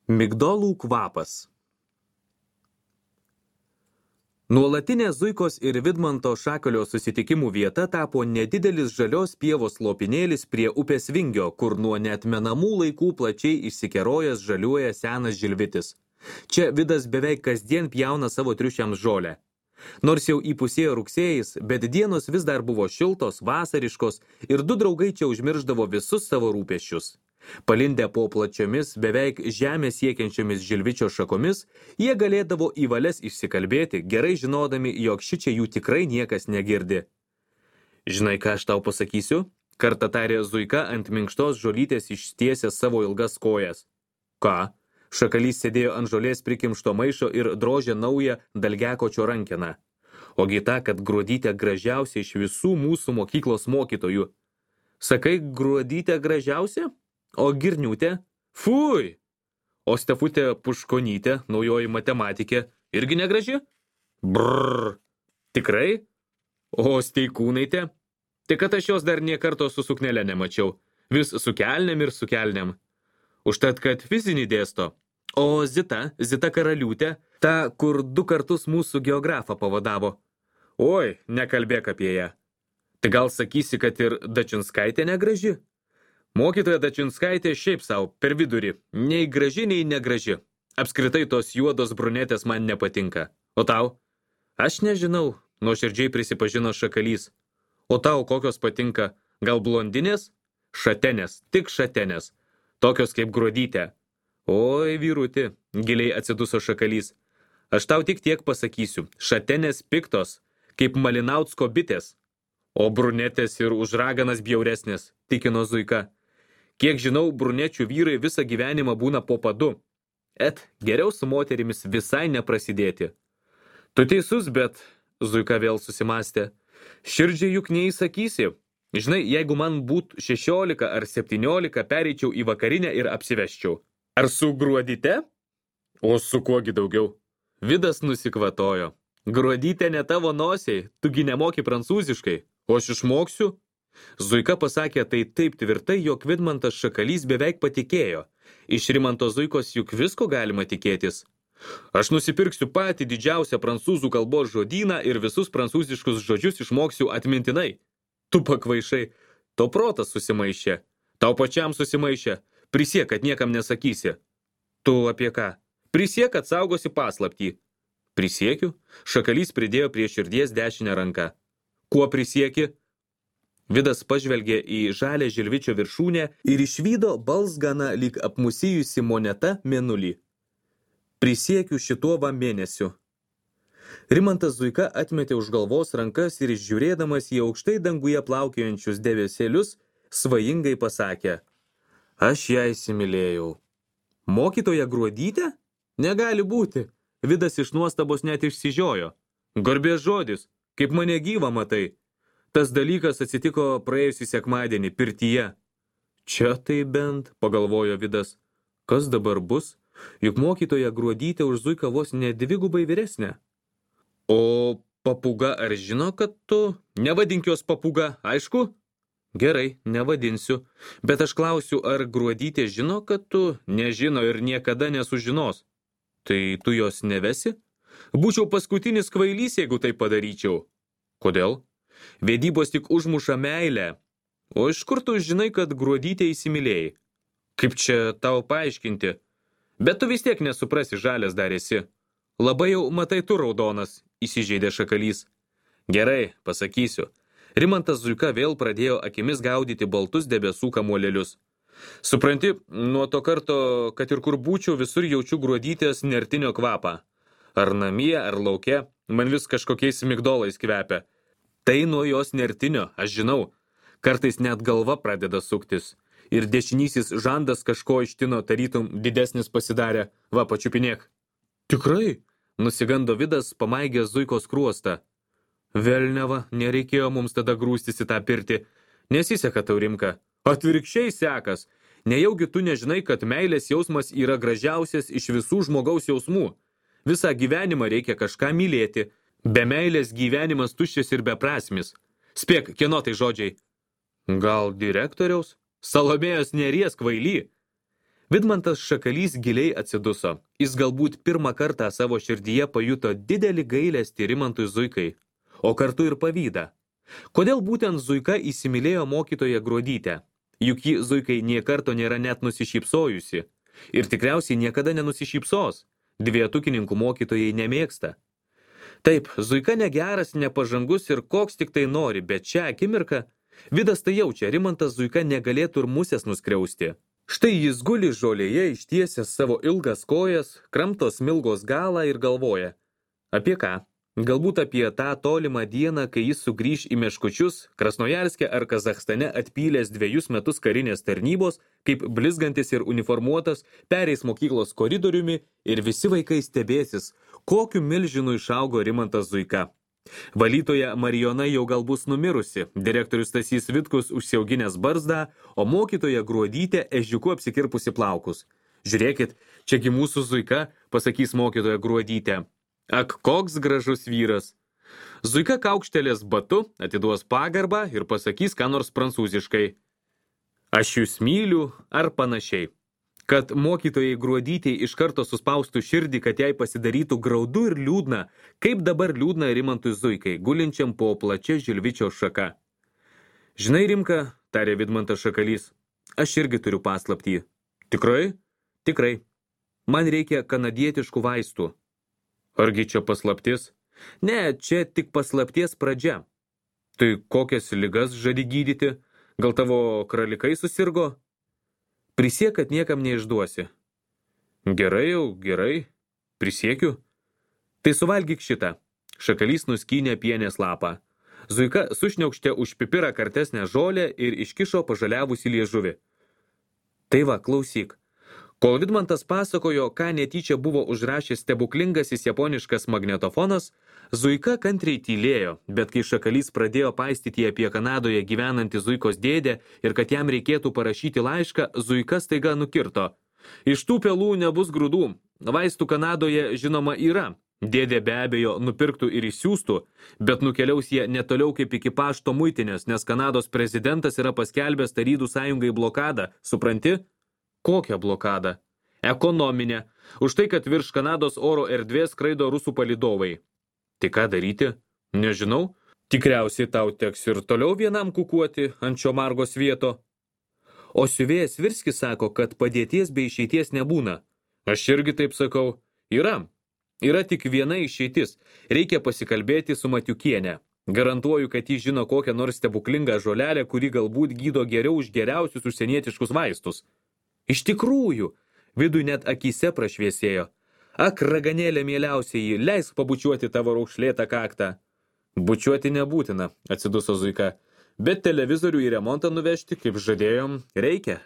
Migdolų kvapas. Nuolatinė Zuikos ir Vidmanto Šakalio susitikimų vieta tapo nedidelis žalios pievos lopinėlis prie upės Vingio, kur nuo neatmenamų laikų plačiai išsikerojęs žaliuoja senas žilvitis. Čia Vidas beveik kasdien pjauna savo triušiams žolę. Nors jau įpusėjo rugsėjais, bet dienos vis dar buvo šiltos, vasariškos ir du draugai čia užmirždavo visus savo rūpesčius. Palindę po plačiomis, beveik žemę siekiančiomis žilvičio šakomis, jie galėdavo į valias išsikalbėti, gerai žinodami, jog šičia jų tikrai niekas negirdi. Žinai, ką aš tau pasakysiu? Kartą tarė Zuika ant minkštos žolytės ištiesęs savo ilgas kojas. Ką? Šakalys sėdėjo ant žolės prikimšto maišo ir drožė naują dalgekočio rankeną. Ogi ta, kad Gruodytė gražiausia iš visų mūsų mokyklos mokytojų. Sakai, Gruodytė gražiausia? O Girniūtė? Fui! O Stefutė Puškonytė, naujoji matematikė, irgi negraži? Brrr! Tikrai? O Steikūnaitė? Tik kad aš jos dar nė karto su suknele nemačiau. Vis su kelnėm ir su kelnėm. Užtat, kad fizinį dėsto. O Zita Karaliūtė, ta, kur 2 kartus mūsų geografą pavadavo. Oi, nekalbėk apie ją. Tai gal sakysi, kad ir Dačinskaitė negraži? Mokytoja Dačinskaitė šiaip savo, per vidurį, nei graži, nei negraži. Apskritai tos juodos brunetės man nepatinka. O tau? Aš nežinau, nuoširdžiai prisipažino Šakalys. O tau kokios patinka? Gal blondinės? Šatenės, tik šatenės. Tokios kaip Gruodytė. Oi, vyruti, giliai atsiduso Šakalys. Aš tau tik tiek pasakysiu. Šatenės piktos, kaip Malinautsko bitės. O brunetės ir už raganas bjauresnės, tikino Zuika. Kiek žinau, brunečių vyrai visą gyvenimą būna po padu. Geriau su moterimis visai neprasidėti. Tu teisus, bet, Zuika vėl susimastė, širdžiai juk neįsakysi. Žinai, jeigu man būtų 16 ar 17, pereičiau į vakarinę ir apsiveščiau. Ar su Gruodyte? O su kuogi daugiau? Vidas nusikvatojo. Gruodytė ne tavo nosiai, tugi nemoki prancūziškai, o aš išmoksiu. Zuika pasakė tai taip tvirtai, jog Vidmantas Šakalys beveik patikėjo. Iš Rimanto Zuikos juk visko galima tikėtis. Aš nusipirksiu patį didžiausią prancūzų kalbos žodyną ir visus prancūziškus žodžius išmoksiu atmintinai. Tu pakvaišai, to protas susimaišė. Tau pačiam susimaišė. Prisiek, kad niekam nesakysi. Tu apie ką? Prisiek, kad saugosi paslaptį. Prisiekiu? Šakalys pridėjo prie širdies dešinę ranką. Kuo prisieki? Vidas pažvelgė į žalę žilvičio viršūnę ir išvydo balsganą lyg apmusijusi moneta mėnulį. Prisiekiu šituo va mėnesiu. Rimantas Zuika atmetė už galvos rankas ir žiūrėdamas į aukštai danguje plaukiojančius debesėlius, svajingai pasakė. Aš ją įsimylėjau. Mokytoja Gruodytė? Negali būti. Vidas iš nuostabos net išsižiojo. Garbės žodis, kaip mane gyvą matai. Tas dalykas atsitiko praėjusį sekmadienį pirtyje. Čia tai bent, pagalvojo Vidas. Kas dabar bus? Juk mokytoja Gruodytė už Zuiką vos ne 2 vyresnė. O papuga ar žino, kad tu? Nevadink jos papuga, aišku? Gerai, nevadinsiu. Bet aš klausiu, ar Gruodytė žino, kad tu? Nežino ir niekada nesužinos. Tai tu jos nevesi? Būčiau paskutinis kvailys, jeigu tai padaryčiau. Kodėl? Vedybos tik užmuša meilę. O iš kur tu žinai, kad Gruodytė įsimylėjai? Kaip čia tau paaiškinti? Bet tu vis tiek nesuprasi, žalias dar esi. Labai jau matai tu raudonas, įsižeidė Šakalys. Gerai, pasakysiu. Rimantas Zuika vėl pradėjo akimis gaudyti baltus debesų kamuolėlius. Supranti, nuo to karto, kad ir kur būčiau, visur jaučiu Gruodytės nertinio kvapą. Ar namie, ar lauke, man vis kažkokiais migdolais kvepia. Tai nuo jos nertinio, aš žinau. Kartais net galva pradeda suktis. Ir dešinysis žandas kažko ištino, tarytum didesnis pasidarė. Va, pačiupinėk. Tikrai? Nusigando Vidas, pamaigęs Zuikos kruostą. Velneva, nereikėjo mums tada grūstis į tą pirtį. Nesiseka tau, Rimka. Atvirkščiai sekas. Nejaugi tu nežinai, kad meilės jausmas yra gražiausias iš visų žmogaus jausmų. Visą gyvenimą reikia kažką mylėti. Be meilės gyvenimas tuščias ir beprasmis. Spėk, kieno tai žodžiai? Gal direktoriaus? Salomėjos Nėries kvaily? Vidmantas Šakalys giliai atsiduso. Jis galbūt pirmą kartą savo širdyje pajuto didelį gailestį Rimantui Zuikai, o kartu ir pavydą. Kodėl būtent Zuika įsimylėjo mokytoją Gruodytę? Juk ji Zuikai nė karto nėra net nusišypsojusi. Ir tikriausiai niekada nenusišypsos. Dvietukininkų mokytojai nemėgsta. Taip, Zuika negeras, nepažangus ir koks tik tai nori, bet šią akimirką Vidas tai jaučia, Rimantas Zuika negalėtų ir musės nuskriausti. Štai jis guli žolėje, ištiesęs savo ilgas kojas, kramto smilgos galą ir galvoja. Apie ką? Galbūt apie tą tolimą dieną, kai jis sugrįž į Meškučius, Krasnojarske ar Kazachstane atpylęs 2 metus karinės tarnybos, kaip blizgantis ir uniformuotas, pereis mokyklos koridoriumi ir visi vaikai stebėsis, kokiu milžinu išaugo Rimantas Zuika. Valytoja Marijona jau gal bus numirusi, direktorius Stasys Vitkus užsiauginęs barzdą, o mokytoja Gruodytė ežiuku apsikirpusi plaukus. Žiūrėkit, čiagi mūsų Zuika, pasakys mokytoja Gruodytė. Ak, koks gražus vyras. Zuika kaukštelės batu, atiduos pagarbą ir pasakys ką nors prancūziškai. Aš jūs myliu ar panašiai. Kad mokytojai Gruodytei iš karto suspaustų širdį, kad jai pasidarytų graudu ir liūdna, kaip dabar liūdna Rimantui Zuikai, gulinčiam po plačia žilvičio šaka. Žinai, Rimka, tarė Vidmantas Šakalys, aš irgi turiu paslaptį. Tikrai? Tikrai. Man reikia kanadietiškų vaistų. Argi čia paslaptis? Ne, čia tik paslapties pradžia. Tai kokias ligas žadi gydyti? Gal tavo kralikai susirgo? Prisiek, kad niekam neišduosi. Gerai jau, gerai. Prisiekiu. Tai suvalgyk šitą. Šakalys nuskynė pienės lapą. Zuika sušniaukštė už pipirą kartesnę žolę ir iškišo pažaliavusį liežuvį. Tai va, klausyk. Kol Vidmantas pasakojo, ką netyčia buvo užrašęs stebuklingasis japoniškas magnetofonas, Zuika kantriai tylėjo, bet kai Šakalys pradėjo paistyti apie Kanadoje gyvenantį Zuikos dėdę ir kad jam reikėtų parašyti laišką, Zuika staiga nukirto. Iš tų pelų nebus grūdų. Vaistų Kanadoje žinoma yra. Dėdė be abejo nupirktų ir išsiųstų, bet nukeliaus jie netoliau kaip iki pašto muitinės, nes Kanados prezidentas yra paskelbęs Tarybų sąjungai blokadą. Supranti? Kokią blokadą? Ekonominę. Už tai, kad virš Kanados oro erdvės skraido rusų palydovai. Tai ką daryti? Nežinau. Tikriausiai tau teks ir toliau vienam kukuoti ant šio margo svieto. O siuvėjas Virskis sako, kad padėties bei išeities nebūna. Aš irgi taip sakau. Yra. Yra tik viena išeitis. Reikia pasikalbėti su Matiukiene. Garantuoju, kad ji žino kokią nors stebuklingą žolelę, kuri galbūt gydo geriau už geriausius užsienietiškus vaistus. Iš tikrųjų, Vidui net akyse prašviesėjo. Ak, raganėlė mieliausiai, leisk pabučiuoti tavo raukšlėtą kaktą. Bučiuoti nebūtina, atsiduso Zuika, bet televizorių į remontą nuvežti, kaip žadėjom, reikia.